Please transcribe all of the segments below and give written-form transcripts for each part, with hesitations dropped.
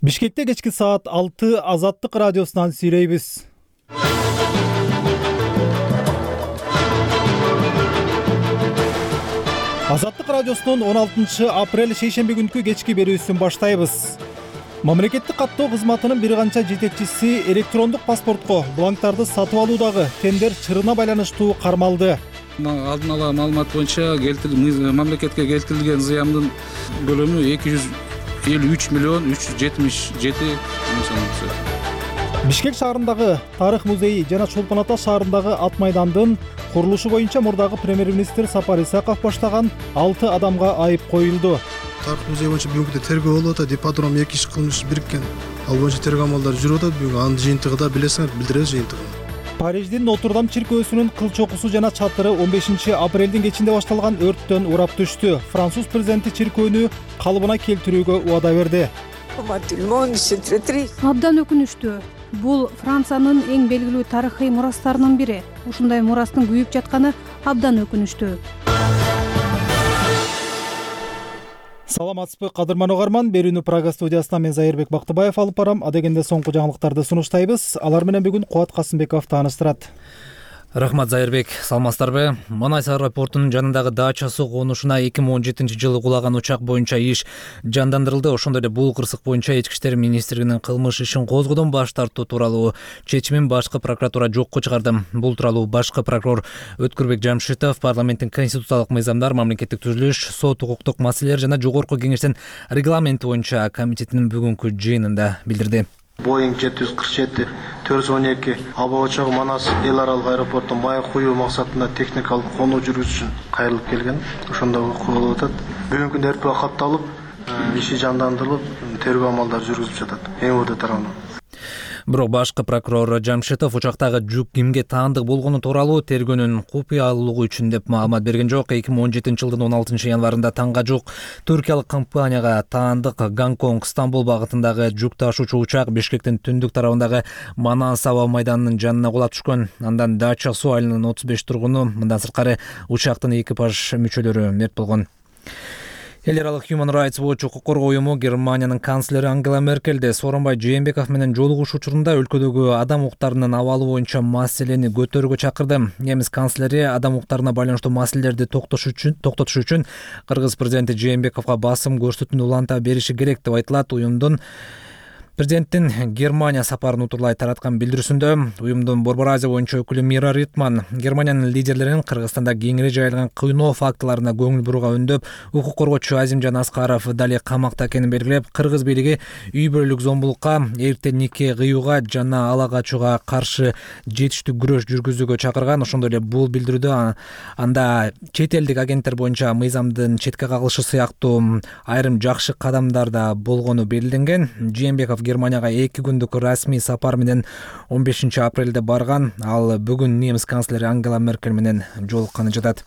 Бишкекте кечки саат 6 Азаттык радиосунан сүйлөйбүз. Азаттык радиосунун 16 апрель шейшемби күнкү кечки берүүсүн баштайбыз. Мамлекеттик каттоо кызматынын бир канча жетекчиси электрондук паспортко бланктарды сатып алуудагы тендер чырына байланыштуу кармалды. Алдын ала маалымат боюнча мамлекетке келтирилген зыяндын көлөмү 253 миллион 377 мың сом. Бишкек шаарындагы Тарых музейи жана Чолпон Ата шаарындагы ат майдандын курулушу боюнча мурдагы премьер-министр Сапар Исаков баштаган 6 адамга айып коюлду. Тарых музейи боюнча бүгүнкү тергөө болуп атат. Ипподром 2 иш кылмыш бириккен. Ал боюнча тергөө амалдары жүрүп атат. Бүгүн анын жыйынтыгында билесиңер, билдиребиз жыйынтыгын. Париждин Нотр-Дам чиркөөсүнүн кыл чокусу жана чатыры 15 апрелдин кечинде башталган өрттөн урап түштү. Француз президенти чиркөөнү калыбына келтирүүгө убада берди. Абдан өкүнүштүү. Бул Франциянын эң белгилүү тарыхый мурастарынын бири. Ушундай мурастын күйүп жатканы абдан өкүнүштүү. Саламатсызбы, кадырман угарман. Берүүнү Прага студиясынан мен Зайырбек Бактыбаев алып барам. Адегенде соңку жаңылыктарды сунуштайбыз. Алар менен бүгүн Кубат Касымбеков тааныштырат. Рахмат, Зайырбек. Саламатсыздарбы? Манай-Сары портунун жанындагы дачасы конушуна 2017-жылы кулаган учак боюнча иш жандандырылды. Ошондой эле бул кырсык боюнча Ички иштер министрлигинин кылмыш ишин козгоодон баш тартуу тууралуу чечимин башкы прокуратура жокко чыгарды. Бул тууралуу башкы прокурор Өткүрбек Жамшитов парламенттин конституциялык мыйзамдар, мамлекеттик түзүлүш, сот укуктук маселелер жана жогорку кеңештин регламенти боюнча комитетинин бүгүнкү жыйынында билдирди. Boeing 747-412 аба учагы Манас эл аралык аэропортун маек куюу максатында техникалык конуу жүргүзүш үчүн кайрылып келген. Ошондо окуу болуп атат. Бүгүнкү күндө эртпөө катталып, иши жандандырылып, тергөө амалдары жүргүзүлүп жатат. МВД тарабынан. Бирок башкы прокурор Жамшитов учактагы жүк кимге таандык болгону тууралуу тергөөнүн купуялуулугу үчүн деп маалымат берген жок. 2017-жылдын 16 январында таңга жук түркиялык компанияга таандык Гонконг Стамбул багытындагы жүк ташуучу учак Бишкектин түндүк тарабындагы Манас аба майданынын жанына кулап түшкөн. Андан Дача суу айылынын 35 тургуну, мындан сырткары учактын экипаж мүчөлөрү мерт болгон. Эл аралык Human Rights Watch укук коргоо уюму Германиянын канцлери Ангела Меркелди Сооронбай Жээнбеков менен жолугушуу учурунда өлкөдөгү адам укуктарынын абалы боюнча маселени көтөрүүгө чакырды. Немис канцлери адам укуктарына байланыштуу маселелерди токтотуш үчүн Кыргыз президенти Жээнбековго басым көрсөтүүнү уланта бериши керек деп айтылат. Уюмдун Президенттин Германия сапарын утурлай тараткан билдирүүсүндө уюмдун Борбор Азия боюнча өкүлү Мира Ритман Германиянын лидерлерин Кыргызстанда кеңири жайылган кыйноо фактыларына көңүл бурууга үндөп, укук коргоочу Азимжан Аскаров дали камакта экенин белгилеп, кыргыз бийлиги үй бүлөлүк зомбулукка, эрте нике кыюуга жана ала качууга каршы жетиштүү күрөш жүргүзүүгө чакырган. Ошондой эле бул билдирүүдө анда чет элдик агенттер боюнча мыйзамдын четке кагылышы сыяктуу айрым жакшы кадамдар да болгону белгиленген. Жээнбеков Германияга 2 күндүк расмий сапар менен 15 апрелде барган. Ал бүгүн немис канцлери Ангела Меркель менен жолукканы жатат.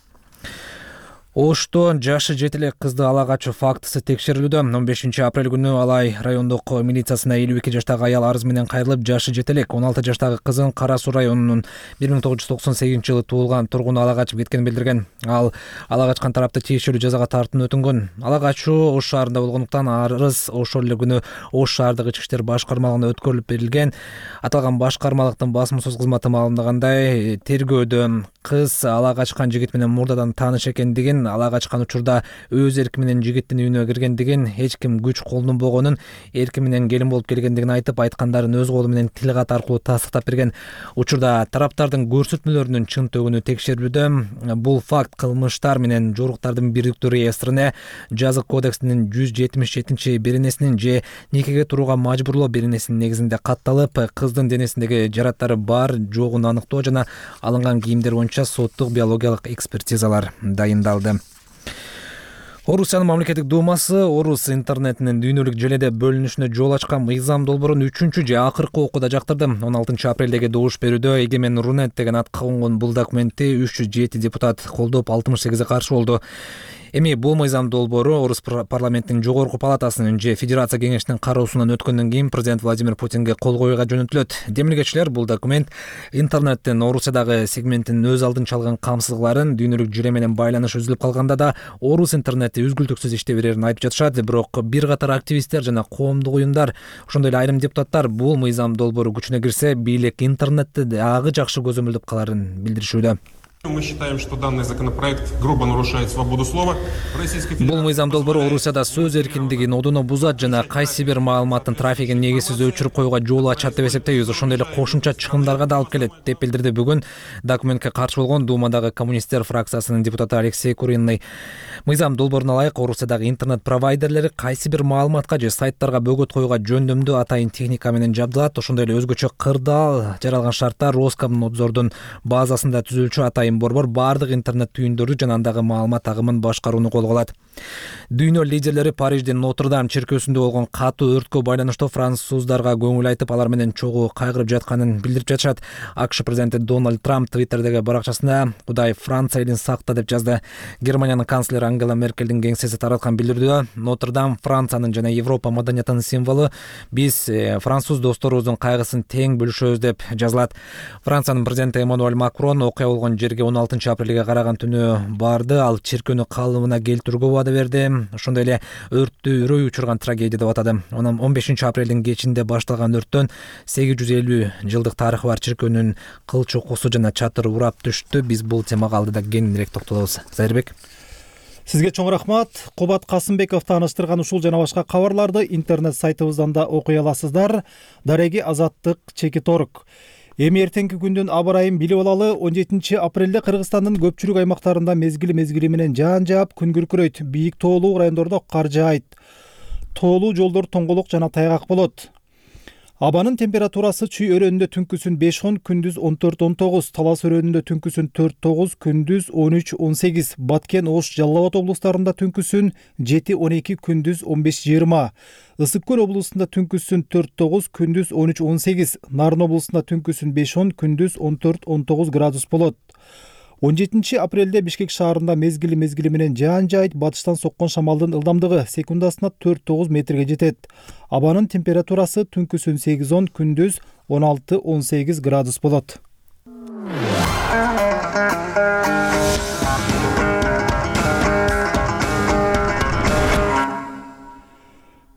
Ошто жашы жетелек кызды ала качуу фактысы текшерилүүдө. 15 апрель күнү Алай райондук милициясына 52 жаштагы аял арыз менен кайрылып, жашы жетелек 16 жаштагы кызын Кара Суу районунун 1998-жылы туулган тургуну ала качып кеткенин билдирген. Ал ала качкан тарапты тиешелүү жазага тартууну өтүнгөн. Ала качуу Ош шаарында болгондуктан арыз ошол эле күнү Ош шаардык ички иштер башкармалыгына өткөрүлүп берилген. Аталган башкармалыктын басмасөз кызматы маалымдагандай, тергөөдө кыз ала качкан жигит менен мурдадан тааныш экендигин, ала качкан учурда өз эрки менен жигиттин үйүнө киргендигин, эч ким күч колдонбогонун, эрки менен келин болуп келгендигин айтып, айткандарын өз колу менен тил кат аркылуу тастыктап берген. Учурда тараптардын көрсөтмөлөрүнүн чынтөгүнү текшерүүдө. Бул факт кылмыштар менен жоруктардын бириктүү реестрине, жазык кодексинин 177 беренесинин же никеге турууга мажбурлоо беренесинин негизинде катталып, кыздын денесиндеги жараттары бар жогун аныктоо жана алынган кийимдер боюнча соттук биологиялык экспертизалар дайындалды. Орусиянын мамлекеттик думасы орус интернетинин дүйнөлүк желеде бөлүнүшүнө жол ачкан мыйзам долбоорун 3-чү же акыркы окууда жактырды. 16 апрелдеги добуш берүүдө Эгемен Рунет деген атка конгон бул документти 307 депутат колдоп, 68 каршы болду. Эми бул мыйзам долбоору Орус парламентинин жогорку палатасынын же Федерация кеңешинин кароосунан өткөндөн кийин президент Владимир Путинге кол коюуга жөнөтүлөт. Демилгечилер бул документ интернеттин Орусиядагы сегментинин өз алдынча алган камсыздыктарын, дүйнөлүк жүйө менен байланыш үзүлүп калганда да Орус интернети үзгүлтүксүз иштей берерин айтып жатышат. Бирок бир катар активисттер жана коомдук уюмдар, ошондой эле айрым депутаттар бул мыйзам долбоору күчүнө кирсе, бийлик интернетти дагы жакшы көзөмөлдөп каларын билдиришүүдө. Мы считаем, что данный законопроект грубо нарушает свободу слова. Бул мыйзам долбоору Орусияда сөз эркиндигин одуно бузат жана кайсы бир маалыматтын трафигин негизсиз өчүрүп коюуга жол ачат деп эсептейбиз. Ошондой эле кошумча чыгымдарга да алып келет деп билдирди бүгүн документке каршы болгон Думадагы коммунисттер фракциясынын депутаты Алексей Куриный. Мыйзам долбооруна ылайык Орусиядагы интернет провайдерлери кайсы бир маалыматка же сайттарга бөгөт коюуга жөндөмдүү атайын техника менен жабдылат. Ошондой эле өзгөчө кырдаал жаралган шарттар Роскомнадзордун базасында түзүлчү атайын борбор баардык интернет түйүндөрдү жана андагы маалымат агымын башкарууну колго алат. Дүйнө лидерлери Париждин Нотр-Дам чиркөөсүндө болгон катуу өрткө байланыштуу француздарга көңүл айтып, алар менен чогуу кайгырып жатканын билдирип жатышат. АКШ президенти Дональд Трамп Твиттердеги баракчасында Кудай Франция элин сакта деп жазды. Германиянын канцлери Ангела Меркелдин кеңсеси тараткан билдирүүдө Нотр-Дам Франциянын жана Европа маданиятынын символу, биз француз досторубуздун кайгысын тең бөлүшөбүз деп жазылат. Франциянын президенти Эммануэль Макрон окуя болгон жерге 16 апрелге караган түнү барды. Ал чиркөөнү калыбына келтирүүгө убада берди. Ошондой эле өрттү үрөй учурган трагедия деп атады. 15 апрелдин кечинде башталган өрттөн 850 жылдык тарыхы бар чиркөөнүн кылч окусу жана чатыры урап түштү. Биз бул темага алдыда кеңирээк токтолобуз. Зайырбек. Сизге чоң рахмат. Кубат Касымбеков тааныштырган ушул жана башка кабарларды интернет сайтыбыздан да окуй аласыздар. Дареги Азаттык Чекиторг. Эми эртеңки күндүн аба ырайын билип алалы. 17 апрелде Кыргызстандын көпчүлүк аймактарында мезгили менен жаан жаап, күн күркүрөйт. Бийик тоолуу райондордо кар жаайт. Тоолуу жолдор тоңголок жана тайгак болот. Абанын температурасы Чүй өрөөнүндө түнкүсүн 5-10, күндүз 14-19, Талас өрөөнүндө түнкүсүн 4-9, күндүз 13-18, Баткен, Ош, Жалал Абад облустарында түнкүсүн 7-12, күндүз 15-20, Ысык көл облусунда түнкүсүн 4-9, күндүз 13-18, Нарын облусунда түнкүсүн 5-10, күндүз 14-19 градус болот. 17 апрелде Бишкек шаарында мезгили менен жаан жаайт. Батыштан соккон шамалдын ылдамдыгы секундасына 4-9 метрге жетет. Абанын температурасы түнкүсүн 8-10, күндүз 16-18 градус болот.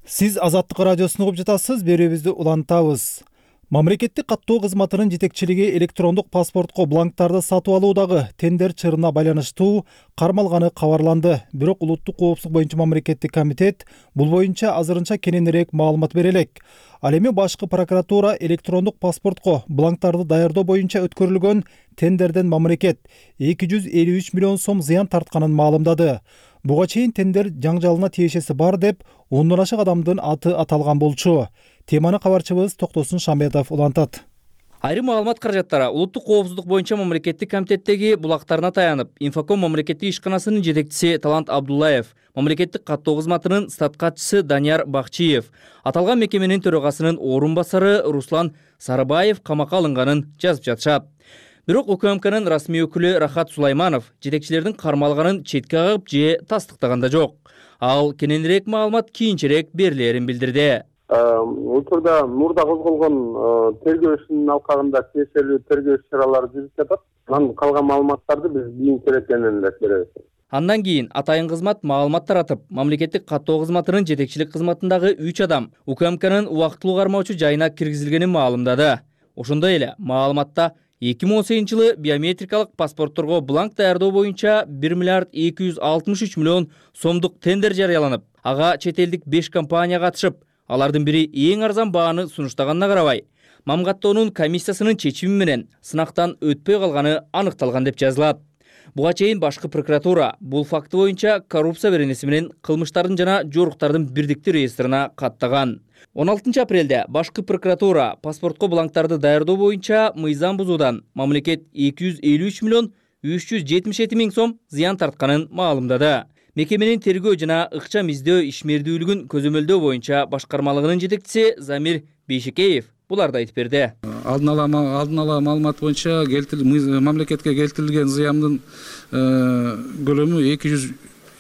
Сиз Азаттык радиосун угуп жатасыз, берүүбүздү улантабыз. Мамлекеттик каттоо кызматынын жетекчилиги электрондук паспортко бланктарды сатып алуудагы тендер чырына байланыштуу кармалганы кабарланды. Бирок улуттук коопсуздук боюнча мамлекеттик комитет бул боюнча азырынча кененирээк маалымат бере элек. Ал эми башкы прокуратура электрондук паспортко бланктарды даярдоо боюнча өткөрүлгөн тендерден мамлекет 253 миллион сом зыян тартканын маалымдады. Буга чейин тендер жаңжалына тиешеси бар деп 10дон ашык адамдын аты аталган болчу. Теманы кабарчыбыз Токтосун Шамбетов улантат. Айрым маалымат каражаттары улуттук коопсуздук боюнча мамлекеттик комитеттеги булактарына таянып, Инфоком мамлекеттик ишканасынын жетекчиси Талант Абдуллаев, мамлекеттик каттоо кызматынын статкатчысы Данияр Бакчиев, аталган мекеменин төрагасынын орун басары Руслан Сарыбаев камакка алынганын жазып жатышат. Бирок УКМКнын расмий өкүлү Рахат Сулайманов жетекчилердин кармалганын четке кагып же тастыктаган да жок. Ал кененирээк маалымат кийинчерээк берилерин билдирди. Учурда мурда козголгон тергөө ишинин алкагында тиешелүү тергөө иш-чаралары жүрүп жатат. Анан калган маалыматтарды биз кийинчерээк кененирээк беребиз. Андан кийин атайын кызмат маалымат таратып, мамлекеттик каттоо кызматынын жетекчилик кызматындагы 3 адам УКМКнын убактылуу кармоочу жайына киргизилгенин маалымдады. Ошондой эле маалыматта 2018 жылы биометрикалык паспортторго бланк даярдоо боюнча 1 миллиард 263 миллион сомдук тендер жарыяланып, ага чет элдик 5 компания катышып, алардын бири эң арзан бааны сунуштаганына карабай, мамгаттоонун комиссиясынын чечими менен сынактан өтпөй калганы аныкталган деп жазылат. Буга чейин башкы прокуратура бул факты боюнча коррупция беренеси менен кылмыштардын жана жоруктардын бирдиктүү реестрина каттаган. 16 апрелде башкы прокуратура паспортко бланктарды даярдоо боюнча мыйзам бузуудан мамлекет 253 миллион 377 миң сом зыян тартканын маалымдады. Мекеменин тергөө жана ыкчам издөө ишмердүүлүгүн көзөмөлдөө боюнча башкармалыгынын жетекчиси Замир Бейшекеев буларды айтып берди. Алдын ала маалымат боюнча мамлекетке келтирилген зыяндын көлөмү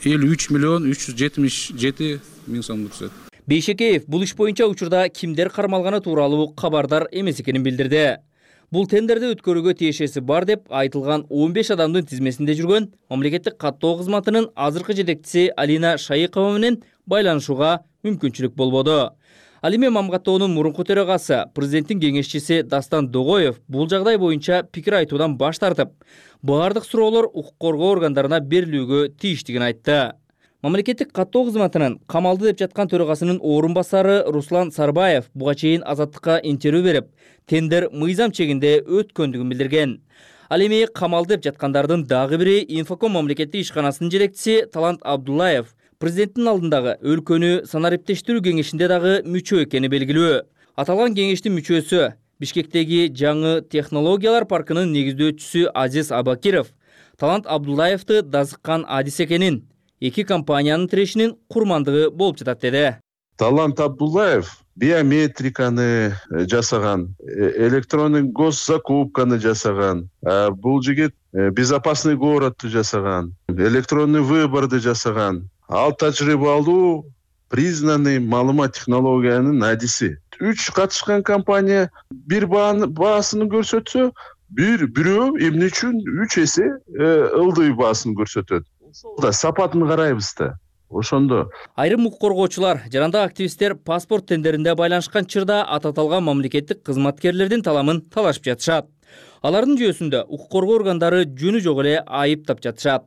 53.377.000 сомдо түшөт. Бейшекеев бул иш боюнча учурда кимдер кармалганы тууралуу кабардар эмес экенин билдирди. Бул тендерди өткөрүүгө тиешеси бар деп айтылган 15 адамдын тизмесинде жүргөн мамлекеттик каттоо кызматынын азыркы жетекчиси Алина Шайыкова менен байланышууга мүмкүнчүлүк болбоду. Ал эми Мамгаттоонун мурунку төрагасы, президенттин кеңешчиси Дастан Догоев бул жагдай боюнча пикир айтуудан баш тартып, баардык суроолор укук коргоо органдарына берилүүгө тийиштигин айтты. Мамлекеттик каттоо кызматынын камалды деп жаткан төрагасынын орун басары Руслан Сарбаев буга чейин Азаттыкка интервью берип, тендер мыйзам чегинде өткөндүгүн билдирген. Ал эми камалды деп жаткандардын дагы бири Инфоком мамлекеттик ишканасынын жетекчиси Талант Абдуллаев президенттин алдындагы өлкөнү санариптештирүү кеңешинде дагы мүчө экени белгилүү. Аталган кеңештин мүчөсү Бишкектеги жаңы технологиялар паркынын негиздөөчүсү Азиз Абакиров Талант Абдуллаевди дазыккан адис экенин, эки компаниянын тирешинин курмандыгы болуп жатат деди. Талант Абдуллаев биометриканы жасаган, электронный госзакупканы жасаган, бул жигит безопасный городду жасаган, электронный выборду жасаган. Ал тажрыйбалуу, признанный маалымат технологиянын адиси. 3 катышкан компания бир баасын көрсөтсө, бирөө эмне үчүн 3 эсе ылдый баасын көрсөтөт. Да сапатын карайбыз да. Ошондо айрым укук коргоочулар, жарандык активисттер паспорт тендеринде байланышкан чырда ататалган мамлекеттик кызматкерлердин таламын талашып жатышат. Алардын жүйөсүндө укук коргоо органдары жөнү жок эле айыптап жатышат.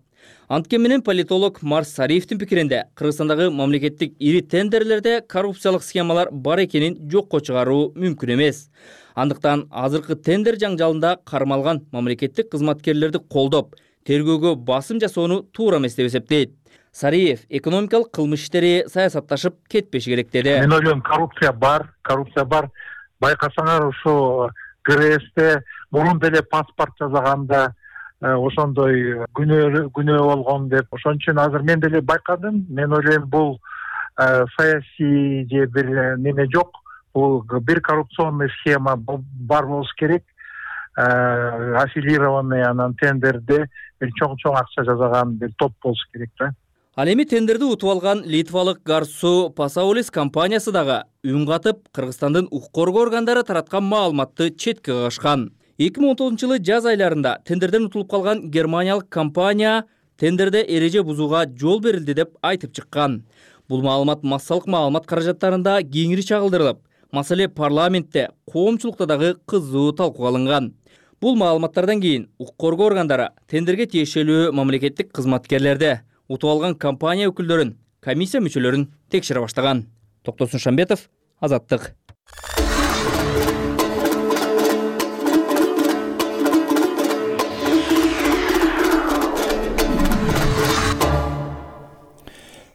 Анткени менен политолог Марс Сариевдин пикиринде Кыргызстандагы мамлекеттик ири тендерлерде коррупциялык схемалар бар экенин жокко чыгаруу мүмкүн эмес. Андыктан азыркы тендер жаңжалында кармалган мамлекеттик кызматкерлерди колдоп, тергөөгө басым жасоону туура эмес деп эсептейт. Сариев экономикалык кылмыш иштери саясатташып кетпеши керек деди. Мен ойлойм, коррупция бар. Байкасаңар ушу ГРСте мурун деле паспорт жасаганда ошондой күнөө болгон деп. Ошон үчүн азыр мен деле байкадым. Мен ойлойм, бул саясий же бир неме жок. Бул бир коррупционный схема бар болуш керек. Аффилированный анан тендерде бир чоң акча жасаган бир топ болуш керек да. Ал эми тендерди утуп алган литвалык Гарсу Пасаулис компаниясы дагы үн катып, Кыргызстандын укук коргоо органдары тараткан маалыматты четке кагышкан. 2019-жылы жаз айларында тендерден утулуп калган германиялык компания тендерде эреже бузууга жол берилди деп айтып чыккан. Бул маалымат массалык маалымат каражаттарында кеңири чагылдырылып, маселе парламентте, коомчулукта дагы кызуу талкууга алынган. Бул маалыматтардан кийин укук коргоо органдары тендерге тиешелүү мамлекеттик кызматкерлерди, утуп алган компания өкүлдөрүн, комиссия мүчөлөрүн текшере баштаган. Токтосун Шамбетов, Азаттык.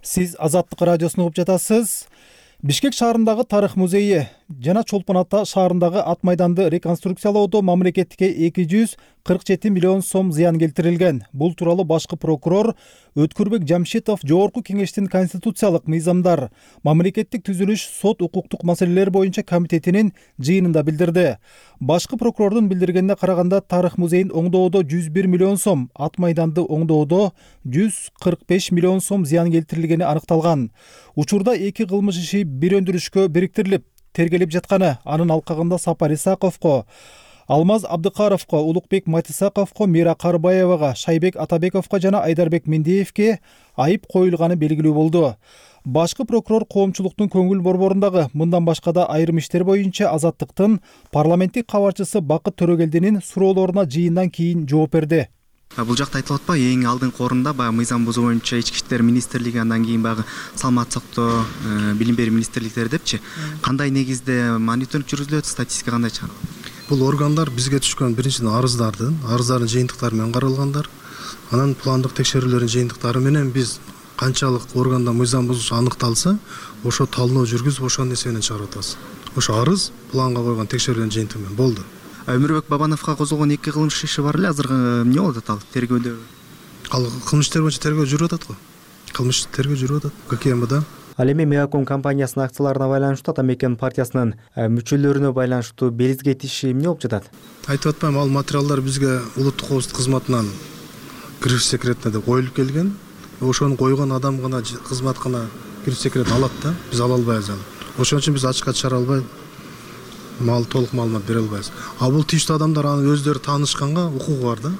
Сиз Азаттык радиосун угуп жатасыз. Бишкек шаарындагы тарых музейи жана Чолпон Ата шаарындагы ат майданды реконструкциялоодо мамлекетке 247 миллион сом зыян келтирилген. Бул тууралуу башкы прокурор Өткүрбек Жамшитов Жогорку Кеңештин конституциялык мыйзамдар, мамлекеттик түзүлүш, сот укуктук маселелер боюнча комитетинин жыйынында билдирди. Башкы прокурордун билдиргенине караганда, тарых музейин оңдоодо 101 миллион сом, ат майданды оңдоодо 145 миллион сом зыян келтирилгени аныкталган. Учурда эки кылмыш иши бир өндүрүшкө бириктирилип, тергелип жатканы, анын алкагында Сапар Исаковго, Алмаз Абдыкаровго, Улукбек Матисаковго, Мира Карбаевага, Шайбек Атабековго жана Айдарбек Мендиевге айып коюлганы белгилүү болду. Башкы прокурор коомчулуктун көңүл борборундагы мындан башка да айрым иштер боюнча Азаттыктын парламенттик кабарчысы Бакыт Төрөгелдинин суроолоруна жыйындан кийин жооп берди. Бул жакта айтылып атпайбы, эң алдыңкы орунда баягы мыйзам бузуу боюнча Ички иштер министрлиги, андан кийин баягы саламаттык сактоо, билим берүү министрликтери депчи. Кандай негизде мониторинг жүргүзүлөт, статистика кандай чыгарылат? Бул органдар бизге түшкөн биринчиден арыздардын жыйынтыктары менен каралгандар. Анан пландык текшерүүлөрдүн жыйынтыктары менен биз канчалык органда мыйзам бузуш аныкталса, ошо талдоо жүргүзүп, ошонун эсебинен чыгарып атабыз. Ошо арыз планга койгон текшерүүлөрдүн жыйынтыгы менен болду. Өмүрбек Бабановго козголгон эки кылмыш иши бар эле, азыр эмне болуп атат ал тергөөдө? Ал кылмыш иштер боюнча тергөө жүрүп атат го. Кылмыш тергөө жүрүп атат. ККМда. Ал эми Мегаком компаниясынын акцияларына байланыштуу Ата Мекен партиясынын мүчөлөрүнө байланыштуу белизге иши эмне болуп жатат? Айтып атпайм, ал материалдар бизге улуттук коопсуздук кызматынан кириш секретине деп коюлуп келген. ошону койгон адам гана кызмат гана кирсе керек алат да, биз ала албайбыз аны. Ошон үчүн биз ачыкка чыгара албай толук маалымат бере албайбыз. А бул тийиштүү адамдар аны өздөрү таанышканга укугу бар да.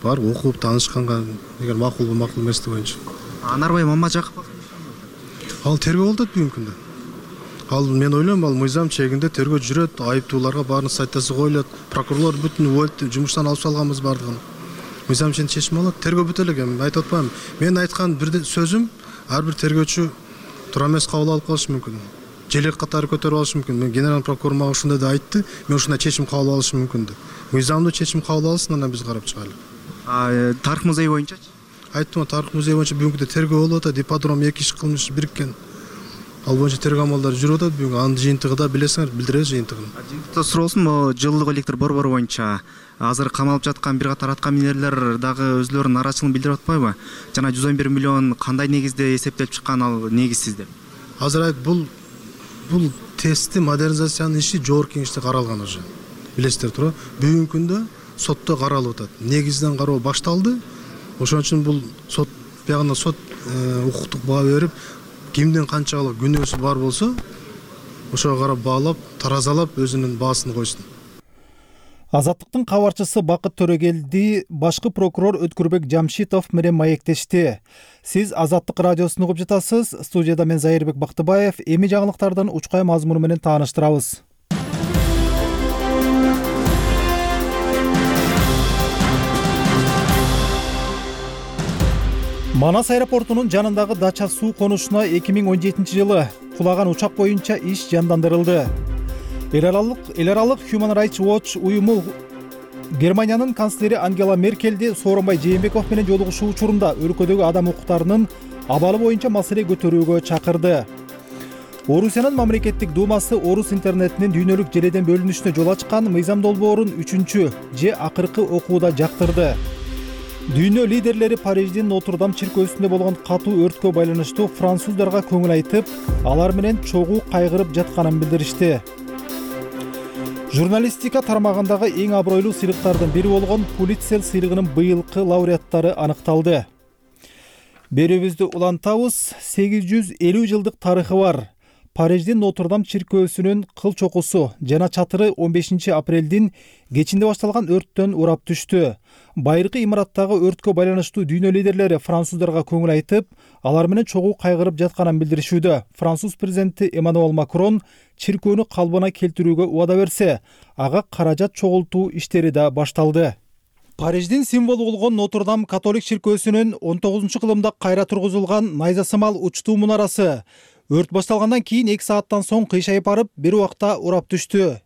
Бар окуп таанышканга эгер макул эмеси боюнча. Анарбай Мамажаков Ал тергөө болуп атат бүгүнкү күндө. Ал мен ойлойм, ал мыйзам чегинде тергөө жүрөт, айыптууларга баарын сайтасы коюлат, прокурорлор бүтүн жумуштан алып салганбыз бардыгын. Мыйзам чен чечим алат, тергөө бүтө элек. Мен айтып атпаймынбы? Мен айткан бир сөзүм ар бир тергөөчү туура эмес кабыл алып калышы мүмкүн. Желек катары көтөрүп алышы мүмкүн. Мен генерал прокурор мага ушундай да айтты, мен ушундай чечим кабыл алышым мүмкүн деп. Мыйзамдуу чечим кабыл алсын, анан биз карап чыгайлы. Тарых музейи боюнчачы? Айттым, тарых музейи боюнча бүгүнкү тергөө болуп атат, ипподром 2 иш кылмыш бириккен. Ал боюнча тергөө амалдары жүрүп атат. Бүгүн анын жыйынтыгы да билесиңер, билдиребиз жыйынтыгын. Жыйынтыкта суроосун, могу жылдык электр борбору боюнча азыр камалып жаткан бир катар аткаминерлер дагы өзлөрүнүн нараачылыгын билдирип атпайбы? Жана 111 миллион кандай негизде эсептелип чыккан, ал негизсиз деп. Азыр бул тестти модернизациянын иши жогорку кеңеште каралган уже. Билесиздер туура. Бүгүнкү күндө сотто каралып атат. Негизден кароо башталды. Ошон үчүн бул сот биягында сот укуктук баа берип, кимдин канчалык күнөөсү бар болсо, ошого карап баалап, таразалап өзүнүн баасын койсун. Азаттыктын кабарчысы Бакыт Төрөгелди башкы прокурор Өткүрбек Жамшитов менен маектешти. Сиз Азаттык радиосун угуп жатасыз. Студияда мен Зайырбек Бактыбаев. Эми жаңылыктардын учкай мазмуну менен тааныштырабыз. Манас аэропортунун жанындагы дача суу конушуна 2017-жылы кулаган учак боюнча иш жандандырылды. Эл аралык Human Rights Watch уюму Германиянын канцлери Ангела Меркелди Сооронбай Жээнбеков менен жолугушуу учурунда өлкөдөгү адам укуктарынын абалы боюнча маселе көтөрүүгө чакырды. Орусиянын мамлекеттик думасы орус интернетинин дүйнөлүк желеден бөлүнүшүнө жол ачкан мыйзам долбоорун 3-чү же акыркы окууда жактырды. Дүйнө лидерлери Париждин Нотр-Дам чиркөөсүндө болгон катуу өрткө байланыштуу француздарга көңүл айтып, алар менен чогуу кайгырып жатканын билдиришти. Журналистика тармагындагы эң абройлуу сыйлыктардын бири болгон Пулитцер сыйлыгынын быйылкы лауреаттары аныкталды. Берүүбүздү улантабыз. 850 жылдык тарыхы бар Париждин Нотр-Дам чиркөөсүнүн кыл чокусу жана чатыры 15 апрелдин кечинде башталган өрттөн урап түштү. Байыркы имараттагы өрткө байланыштуу дүйнө лидерлери француздарга көңүл айтып, алар менен чогуу кайгырып жатканын билдиришүүдө. Француз президенти Эммануэль Макрон чиркөөнү калыбына келтирүүгө убада берсе, ага каражат чогултуу иштери да башталды. Париждин символу болгон Нотр-Дам католик чиркөөсүнүн 19-кылымда кайра тургузулган найзасымал учтуу мунарасы өрт башталгандан кийин 2 сааттан соң кыйшайып барып, бир убакта урап түштү.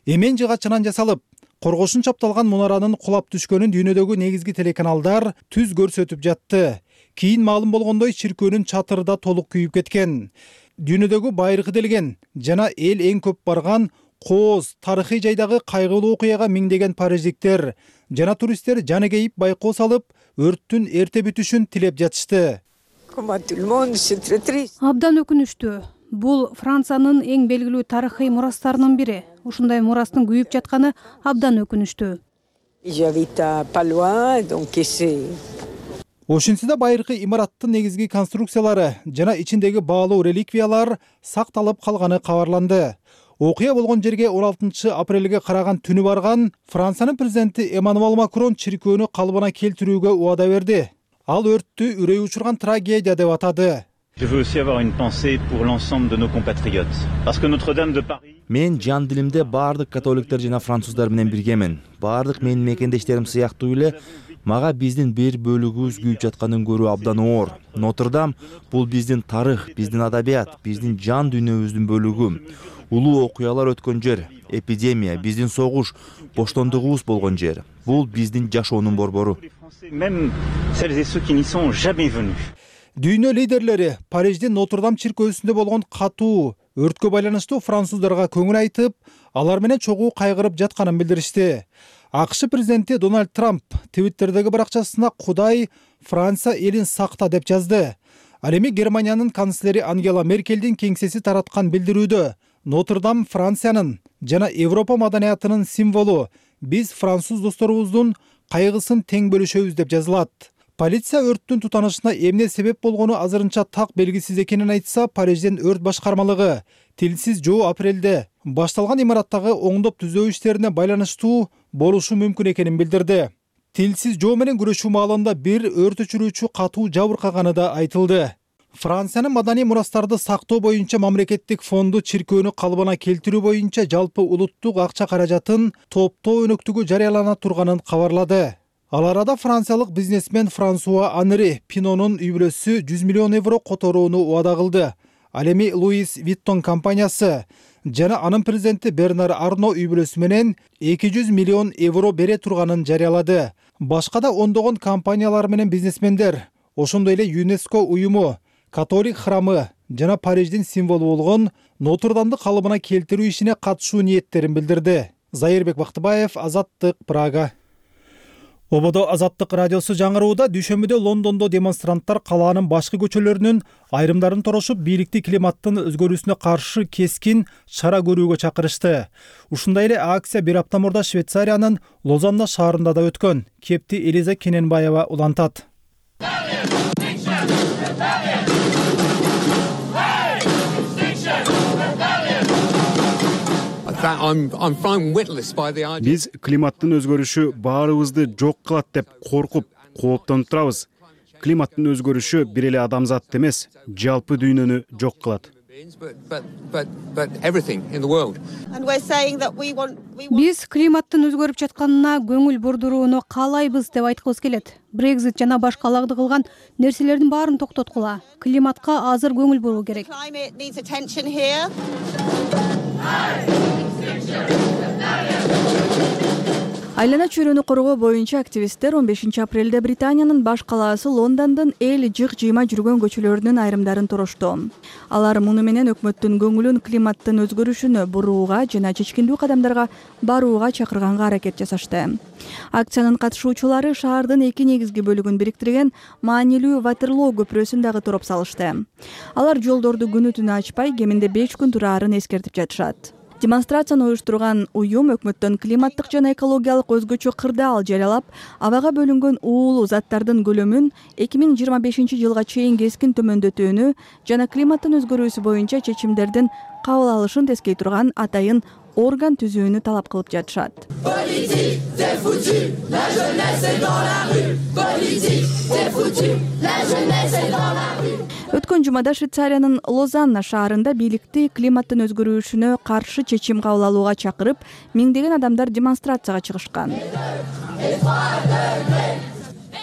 Эмен жыгачынан жасалып, коргошун чапталган мунаранын кулап түшкөнүн дүйнөдөгү негизги телеканалдар түз көрсөтүп жатты. Кийин маалым болгондой, чиркөөнүн чатыры да толук күйүп кеткен. Дүйнөдөгү байыркы делген жана эл эң көп барган кооз тарыхый жайдагы кайгылуу окуяга миңдеген париждиктер жана туристтер жаны кейип байкоо салып, өрттүн эрте бүтүшүн тилеп жатышты. Абдан өкүнүштүү. Бул Франциянын эң белгилүү тарыхый мурастарынын бири. Ушундай мурастын күйүп жатканы абдан өкүнүштүү. Ошентсе да байыркы имараттын негизги конструкциялары жана ичиндеги баалуу реликвиялар сакталып калганы кабарланды. Окуя болгон жерге 16 апрелге караган түнү барган Франциянын президенти Эммануэль Макрон чиркөөнү калыбына келтирүүгө убада берди. Ал өрттү үрөй учурган трагедия деп атады. Je veux aussi avoir une pensée pour l'ensemble de nos compatriotes. Parce que Notre-Dame de Paris. Мен жан дилимде баардык католиктер жана француздар менен биргемен. Баардык менин мекендештерим сыяктуу эле мага биздин бир бөлүгүбүз күйүп жатканын көрүү абдан оор. Нотр-Дам бул биздин тарых, биздин адабият, биздин жан дүйнөбүздүн бөлүгү. Улуу окуялар өткөн жер, эпидемия, биздин согуш, боштондугубуз болгон жер. Бул биздин жашоонун борбору. Même celles et ceux qui n'y sont jamais venus. Дүйнө лидерлери Париждин Нотр-Дам чиркөөсүндө болгон катуу өрткө байланыштуу француздарга көңүл айтып, алар менен чогуу кайгырып жатканын билдиришти. АКШ президенти Дональд Трамп Твиттердеги баракчасына Кудай Франция элин сакта деп жазды. Ал эми Германиянын канцлери Ангела Меркелдин кеңсеси тараткан билдирүүдө Нотр-Дам Франциянын жана Европа маданиятынын символу. Биз француз досторубуздун кайгысын тең бөлүшөбүз деп жазылат. Полиция өрттүн тутанышына эмне себеп болгону азырынча так белгисиз экенин айтса, Парижден өрт башкармалыгы тилсиз жоо апрелде башталган имараттагы оңдоп түзөө иштерине байланыштуу болушу мүмкүн экенин билдирди. Тилсиз жоо менен күрөшүү маалында бир өрт өчүрүүчү катуу жабыркаганы да айтылды. Франциянын маданий мурастарды сактоо боюнча мамлекеттик фонду чиркөөнү калыбына келтирүү боюнча жалпы улуттук акча каражатын топтоо өнөктүгү жарыялана турганын кабарлады. Ал арада франциялык бизнесмен Франсуа Анри Пинонун үй бүлөсү 100 миллион евро которууну убада кылды. Ал эми Луис Виттон компаниясы жана анын президенти Бернар Арно үй бүлөсү менен 200 миллион евро бере турганын жарыялады. Башка да ондогон компаниялар менен бизнесмендер, ошондой эле ЮНЕСКО уюму, католик храмы жана Париждин символу болгон Нотр-Дамды калыбына келтирүү ишине катышуу ниеттерин билдирди. Зайырбек Бактыбаев, Азаттык, Прага. Ободо Азаттык радиосу жаңырууда дүйшөмбүдө Лондондо демонстранттар калаанын башкы көчөлөрүнүн айрымдарын торошуп, бийликти климаттын өзгөрүүсүнө каршы кескин чара көрүүгө чакырышты. Ушундай эле акция бир апта мурда Швейцариянын Лозанна шаарында да өткөн. Кепти Элиза Кененбаева улантат. Биз климаттын өзгөрүшү баарыбызды жок кылат деп коркуп, кооптонуп турабыз. Климаттын өзгөрүшү бир эле адамзатты эмес, жалпы дүйнөнү жок кылат. Биз климаттын өзгөрүп жатканына көңүл бурдурууну каалайбыз деп айткыбыз келет. Брекзит жана башка алагды кылган нерселердин баарын токтоткула. Климатка азыр көңүл буруу керек. Айлана чөйрөнү коргоо боюнча активисттер 15 апрелде Британиянын баш калаасы Лондондун эл жык-жыйма жүргөн көчөлөрүнүн айрымдарын торошту. Алар муну менен өкмөттүн көңүлүн климаттын өзгөрүшүнө бурууга жана чечкиндүү кадамдарга барууга чакырганга аракет жасашты. Акциянын катышуучулары шаардын эки негизги бөлүгүн бириктирген маанилүү Ватерлоо көпүрөсүн дагы туруп салышты. Алар жолдорду күнү түнү ачпай, кеминде 5 күн турарын эскертип жатышат. Демонстрацияны уюштурган уюм өкмөттөн климаттык жана экологиялык өзгөчө кырдаал жарыялап, абага бөлүнгөн уулуу заттардын көлөмүн 2025 жылга чейин кескин төмөндөтүүнү жана климаттын өзгөрүүсү боюнча чечимдердин кабыл алышын тескей турган атайын орган түзүүнү талап кылып жатышат. Өткөн жумада Швейцариянын Лозанна шаарында бийликти климаттын өзгөрүүсүнө каршы чечим кабыл алууга чакырып, миңдеген адамдар демонстрацияга чыгышкан.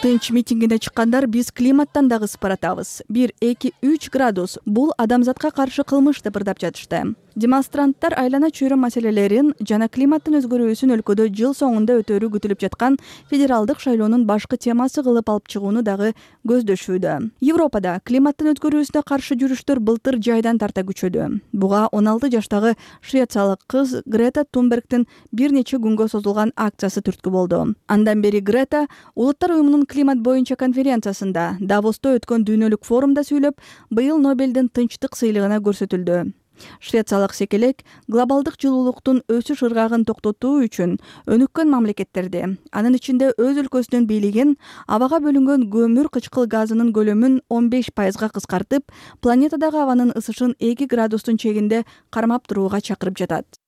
Тынч митингине чыккандар биз климаттан дагы сыпыратабыз. 1-2-3 градус бул адамзатка каршы кылмыш деп ырдап жатышты. Демонстранттар айлана чөйрө маселелерин жана климаттын өзгөрүүсүн өлкөдө жыл соңунда өтөрү күтүлүп жаткан федералдык шайлоонун башкы темасы кылып алып чыгууну дагы көздөшүүдө. Европада климаттын өзгөрүүсүнө каршы жүрүштөр былтыр жайдан тарта күчөдү. Буга 16 жаштагы швециялык кыз Грета Тунбергдин бир нече күнгө созулган акциясы түрткү болду. Андан бери Грета Улуттар уюмунун климат боюнча конференциясында Давосто өткөн дүйнөлүк форумда сүйлөп, быйыл Нобелдин тынчтык сыйлыгына көрсөтүлдү. Швециялык секелек глобалдык жылуулуктун өсүш ыргагын токтотуу үчүн өнүккөн мамлекеттерди, анын ичинде өз өлкөсүнүн бийлигин абага бөлүнгөн көмүр кычкыл газынын көлөмүн 15% кыскартып, планетадагы абанын ысышын 2 градустун чегинде кармап турууга чакырып жатат.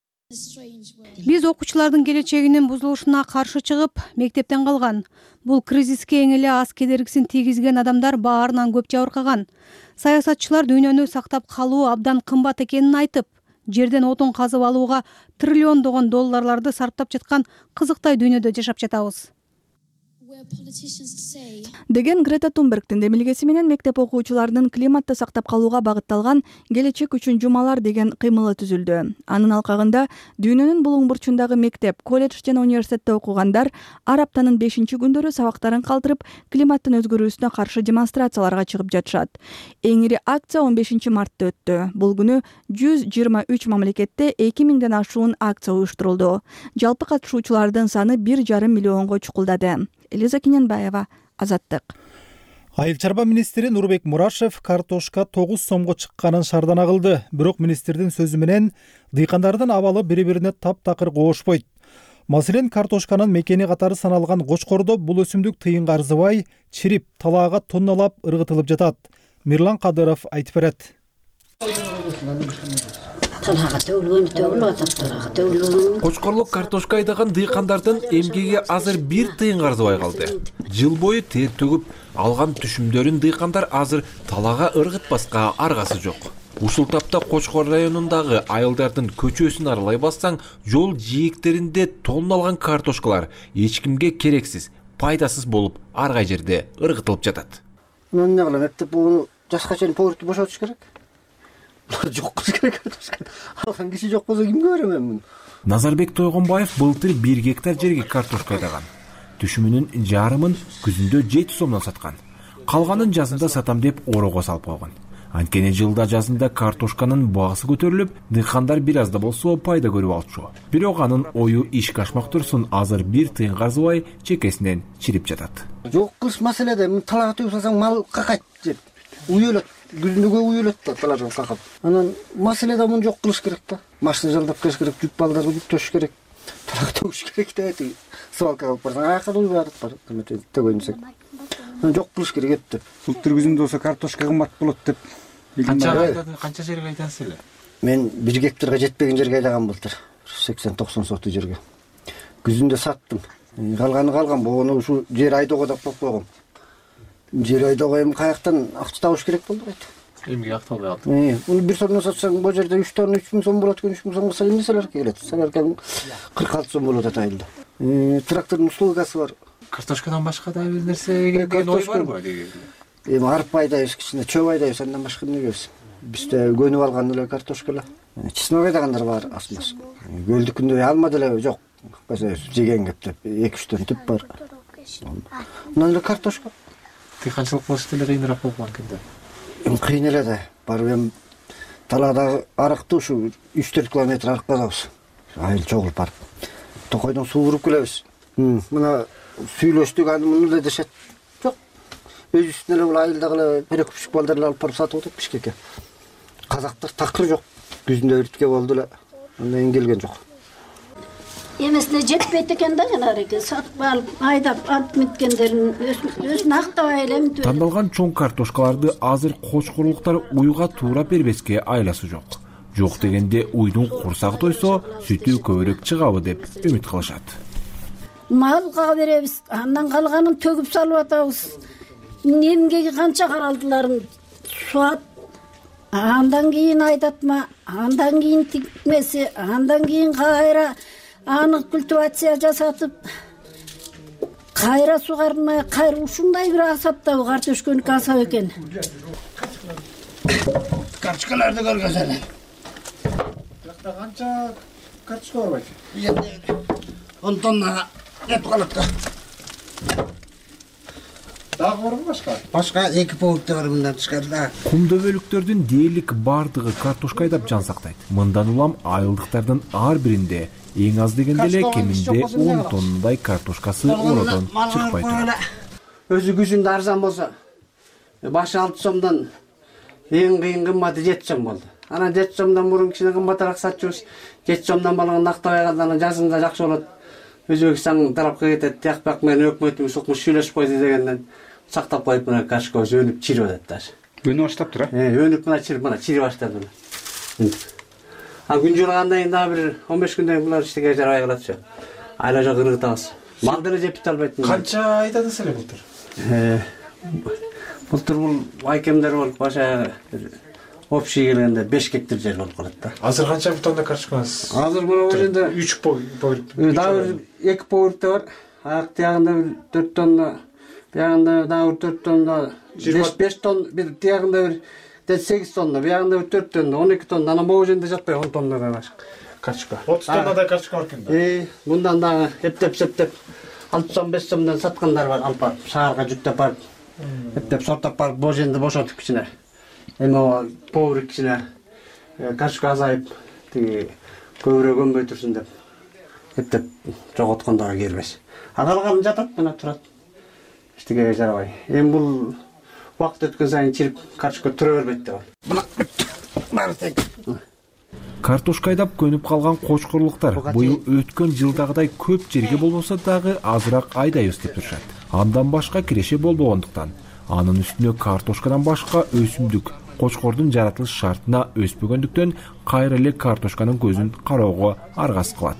Биз окуучулардын келечегинин бузулушуна каршы чыгып, мектептен калган. Бул кризиске эң эле аз кедергисин тийгизген адамдар баарынан көп жабыркаган. Саясатчылар дүйнөнү сактап калуу абдан кымбат экенин айтып, жерден отун казып алууга триллиондогон долларларды сарптап жаткан кызыктай дүйнөдө жашап жатабыз. Деген Грета Тунбергдин демилгеси менен мектеп окуучуларынын климатты сактап калууга багытталган келечек үчүн жумалар деген кыймылы түзүлдү. Анын алкагында дүйнөнүн булуң бурчундагы мектеп, колледж жана университетте окугандар ар аптанын 5-күндөрү сабактарын калтырып, климаттын өзгөрүүсүнө каршы демонстрацияларга чыгып жатышат. Эң ири акция 15 мартта өттү. Бул күнү 123 мамлекетте 2000ден ашуун акция уюштурулду. Жалпы катышуучулардын саны 1,5 миллионго чукулдады. Элиза Кененбаева, Азаттык. Айыл чарба министри Нурбек Мурашев картошка 9 сомго чыкканын шаардана кылды. Бирок министрдин сөзү менен дыйкандардын абалы бири-бирине таптакыр коошпойт. Маселен, картошканын мекени катары саналган Кочкордо бул өсүмдүк тыйынга арзыбай, чирип, талаага тонналап ыргытылып жатат. Мирлан Кадыров айтып берет. Кочкорлук картошка айдаган дыйкандардын эмгеги азыр 1 тыйынга арзыбай калды. Жыл бою тер төгүп алган түшүмдөрүн дыйкандар азыр талаага ыргытпаска аргасы жок. Ушул тапта Кочкор районундагы айылдардын көчөсүн аралай бассаң, жол жээктеринде тонналган картошкалар эч кимге керексиз, пайдасыз болуп ар кай жерде ыргытылып жатат. Мен эмне кылам, эптеп буну жашка чейин повертти бошотуш керек. Булар жок кылыш керек картошка. Алган киши жок болсо кимге берем мен муну? Назарбек Тойгонбаев былтыр 1 гектар жерге картошка айдаган. Түшүмүнүн жарымын күзүндө 7 сомдон саткан. Калганын жазында сатам деп орого салып койгон. Анткени жылда жазында картошканын баасы көтөрүлүп, дыйкандар бир аз да болсо пайда көрүп алчу. Бирок анын ою ишке ашмак турсун, азыр 1 тыйынга арзыбай чекесинен чирип жатат. Жок кылыш маселеде, талаага төгүп салсаң мал какайт деп. Уюлат, күзүндөгө уюлат да талаадан какап. Анан маселеде муну жок кылыш керек да. Машина жалдап келиш керек, жүк балдарга жүктөш керек. Талаага төгүш керек да. Свалкага алып барсаң, акыры уй барып барат, төгөйүн десек. Жок кылыш керек деп. Былтыр күзүндө болсо картошка кымбат болот деп. Канча жерге айдасыз эле? Мен 1 гектарга жетпеген жерге айдагам былтыр. 80-90 соту жерге. Күзүндө саттым. Калганы калган, бону ушу жер айдоого деп коюп койгом. Жер айдоого эми каяктан акча табыш керек болду кайта. Эмне акталбай калды? Уну 1 сомдон сатсаң, бул жерде 3 тонна 3000 сом болот экен, 3000 сомго эмне саларка келет? Саларка 46 сом болуп атат айылда. Трактордун услугасы бар. Картошкадан башка да бир нерсе ой барбы? Эми арпа айдайбыз, кичине чөп айдайбыз, андан башка эмне келбес. Бизде көнүп алган эле картошка эле. Чеснок айдагандар бар асмас. Көлдүкүндө алма деле жок. Жеген кеп деп 2-3 түп бар. Анан эле картошка. Дыйканчылык болуш деле кыйыныраак болуп калган. Эми кыйын эле да. Барып эми талаадагы арыкты ушу 3-4 километр арык казабыз. Айыл чогулуп барып. Токойдон суу буруп келебиз. Мына сүйлөштүк, аны муну да дешет. Жок. Өзүбүздүн эле бул айылдагы эле перекупщик балдар алып барып сатып атат Бишкекке. Казактар такыр жок. Күзүндө иртке болду эле. Андан кийин келген жок. Эмесине жетпейт экен да жанагы сатып алып, айдап алып меткендерин өзүн актабай эле. Тандалган чоң картошкаларды азыр кочкорлуктар уйга туура бербеске айласы жок. Жок дегенде уйдун курсагы тойсо, сүтү көбүрөөк чыгабы деп үмүт кылышат. Малга беребиз, андан калганын төгүп салып атабыз. Эмгеги канча каралдыларын суат, андан кийин айдатма, андан кийин тикмеси, андан кийин кайра аны культивация жасатып, кайра сугармай, кайра ушундай бир асаптагы картошкөнүкү асап экен. Картошкаларды көргөзөлү. Биракта канча картошка бар байке? 10 тоннага жетип калат да. Дагы барбы башка? Башка 2 повукта бар мындан тышкары да. Кум дөбөлүктөрдүн дээрлик бардыгы картошка айдап жан сактайт. Мындан улам айылдыктардын ар биринде эң аз дегенде эле кеминде 10 тоннадай картошкасы ородон чыкпай турат. Өзү күзүндө арзан болсо, башы 6 сомдон эң кыйын кымбаты 7 сом болду. Анан 7 сомдон мурун кичине кымбатыраак сатчубуз. 7 сомдон болгон актабай калган жазында жакшы болот. Өзбекстан тарапка кетет, тияк менен өкмөтүбүз укмуш сүйлөшүп койду дегенден сактап коюп мына картошка өнүп чирип атат даже. Өнүп баштаптыр, а? Өнүп мына чирип баштады. Күн жылгандан кийин дагы бир 15 күндөн кийин булар иштеге жарабай калатчу. Айла жок ыргытабыз. Мал деле жеп бите албайт. Канча айдадыңыз эле былтыр? Былтыр бул айкемдер болуп баша общий келгенде 5 гектар жер болуп калат да. Азыр канча тонна картошкаңыз? Азыр мына бул жерде 3 повырт. Дагы 2 повыртта бар. Аяк тиягында 4 тонна, биягында дагы 4 тонна, 5 тонна, бир тиягында бир 8 тонна, биягында 4 тонна, 12 тонна. Анан могу жерде жатпай 10 тоннадан ашык картошка. 30 тоннадай картошка бар экен да. Мындан дагы эптеп 6 сом 5 сомдон саткандар бар, алып барып шаарга жүктөп барып, эптеп сортоп барып, бул жерде бошотуп кичине. Эми поврик кичине картошка азайып, тиги көбүрөөк өнбөй турсун деп эптеп жоготкондорго келбес. Калганы жатат, мына турат. Эчтеге жарабай. Эми бул убакыт өткөн сайын чирип картошка түрө бербейт деп. Мына баары тең. Картошка айдап көнүп калган кочкорлуктар быйыл өткөн жылдагыдай көп жерге болбосо дагы азыраак айдайбыз деп турушат. Андан башка киреше болбогондуктан, анын үстүнө картошкадан башка өсүмдүк кочкордун жаратылыш шартына өспөгөндүктөн кайра эле картошканын көзүн кароого аргасыз кылат.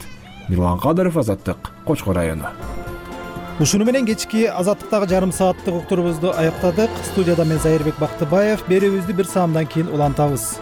Мирлан Кадыров, Азаттык, Кочкор району. Ушуну менен кечки Азаттыктагы жарым сааттык уктурубузду аяктадык. Студияда мен Зайырбек Бактыбаев. Берүүбүздү бир саамдан кийин улантабыз.